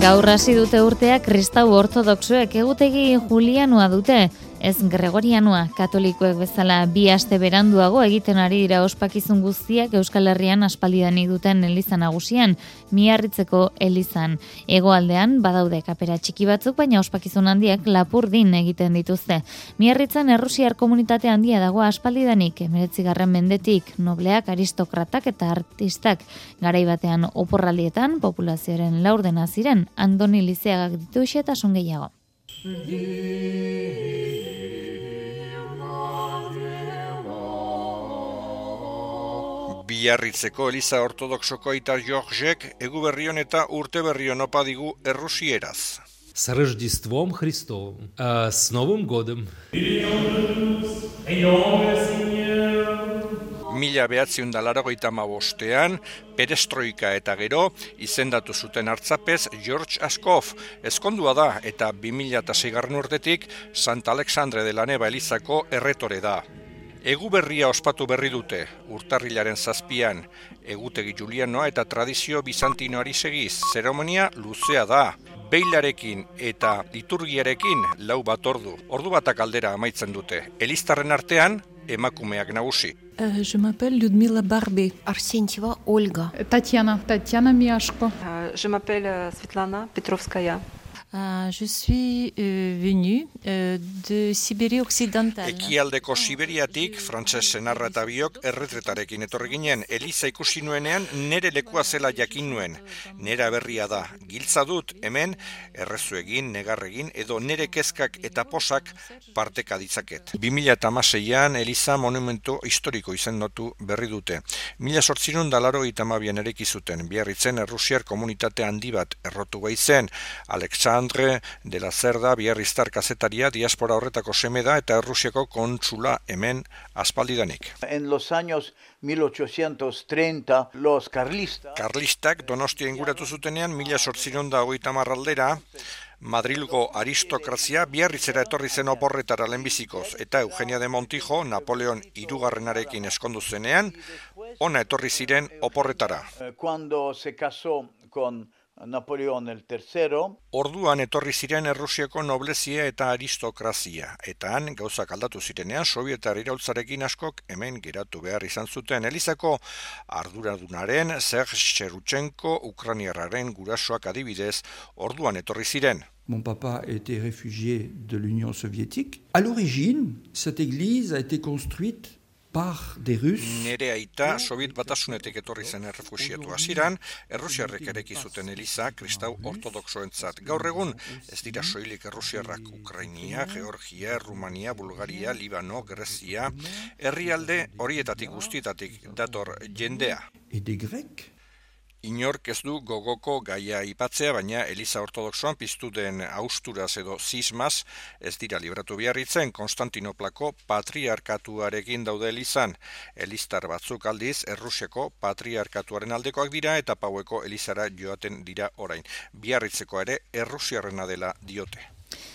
Gaur hasi dute urtea kristau ortodoxoek egutegi julianoa dute, ez gregorianoa, katolikoek bezala 2 aste beranduago egiten ari dira ospakizun guztiak Euskal Herrian aspaldidanik duten eliza nagusian, Miarritzeko elizan. Hegoaldean badaude kapera txiki batzuk, baina ospakizun handiak Lapurdin egiten dituzte. Miarritzen errusiar komunitate handia dago aspaldidanik, 19. mendetik, nobleak, aristokratak eta artistak. Garai batean oporraldietan populazioaren laurdena ziren, Andoni Lizeagak ditu eta son gehiago. Biarritzeko eliza ortodoxoko aita Georgek eguberrion eta urteberrion opa digu errusieraz. С Рождеством Христовым, с Новым годом. 1985 perestroika eta gero izendatu zuten hartzapez George Askov. Ezkondua da eta 2006 urtetik Santa Alexandre de la Neva elizako erretore da. Eguberria ospatu berri dute, urtarrilaren 7an, egutegi julianoa eta tradizio bizantinoari segiz. Zeremonia luzea da, beilarekin eta liturgiarekin 4 bat ordu. Ordu batak aldera amaitzen dute. Eliztarren artean, emakumeak nagusi. Je m'appelle Людмила Барби. Арсентьева Ольга. Татьяна Миашко. Je m'appelle Svetlana Petrovskaya. Je suis venue de Sibérie occidentale. Ekialdeko Siberiatik, frantses senarra eta biok erretretarekin etorri ginen. Eliza ikusi nuenean nere lekua zela jakin nuen. Nera berria da. Giltza dut hemen errezu egin, negarregin edo nere kezkak eta posak parteka ditzaket. 2016an Eliza monumentu historiko izendatu berri dute. 1882an ereki zuten. Biarritzen errusiar komunitate handi bat errotu baitzen. Alexandre de la Cerda biarriztar kazetaria diaspora horretako seme da eta Errusiako kontsula hemen aspaldidanik. En los años 1830 los Karlistak Donostia inguratu zutenean 1830 aldera Madrilgo aristokrazia Biarritzera etorri zen oporretara lehenbizikoz eta Eugenia de Montijo Napoleon hirugarrenarekin eskondu zenean ona etorri ziren oporretara. Cuando se casó con Napoleón el III. Orduan etorri ziren Errusiako noblezia eta aristokrazia, eta han gauzak aldatu zirenean sovietar iraultzarekin askok hemen geratu behar izan zuten. Elizako arduradunaren Serge Cherutchenko ukrainiarraren gurasoak adibidez orduan etorri ziren. Mon papa était réfugié de l'Union soviétique. À l'origine, cette église a été construite par des Russes. Nere aita Soviet batasunetik etorri zen errefuxiatu hasieran, errusiarrek ereki zuten eliza kristau ortodoxoentzat. Gaur egun ez dira soilik errusiarrak Ukrainia, Georgia, Rumania, Bulgaria, Libano, Grezia, herrialde horietatik guztietatik dator jendea. Et des Grecs. Inork ez du gogoko gaia aipatzea, baina Eliza Ortodoxoan piztu den austuraz edo zismaz ez dira libratu Biarritzen Konstantinoplako patriarkatuarekin daude elizan. Eliztar batzuk aldiz Errusiako patriarkatuaren aldekoak dira eta Paueko elizara joaten dira orain. Biarritzeko ere errusiarrena dela diote.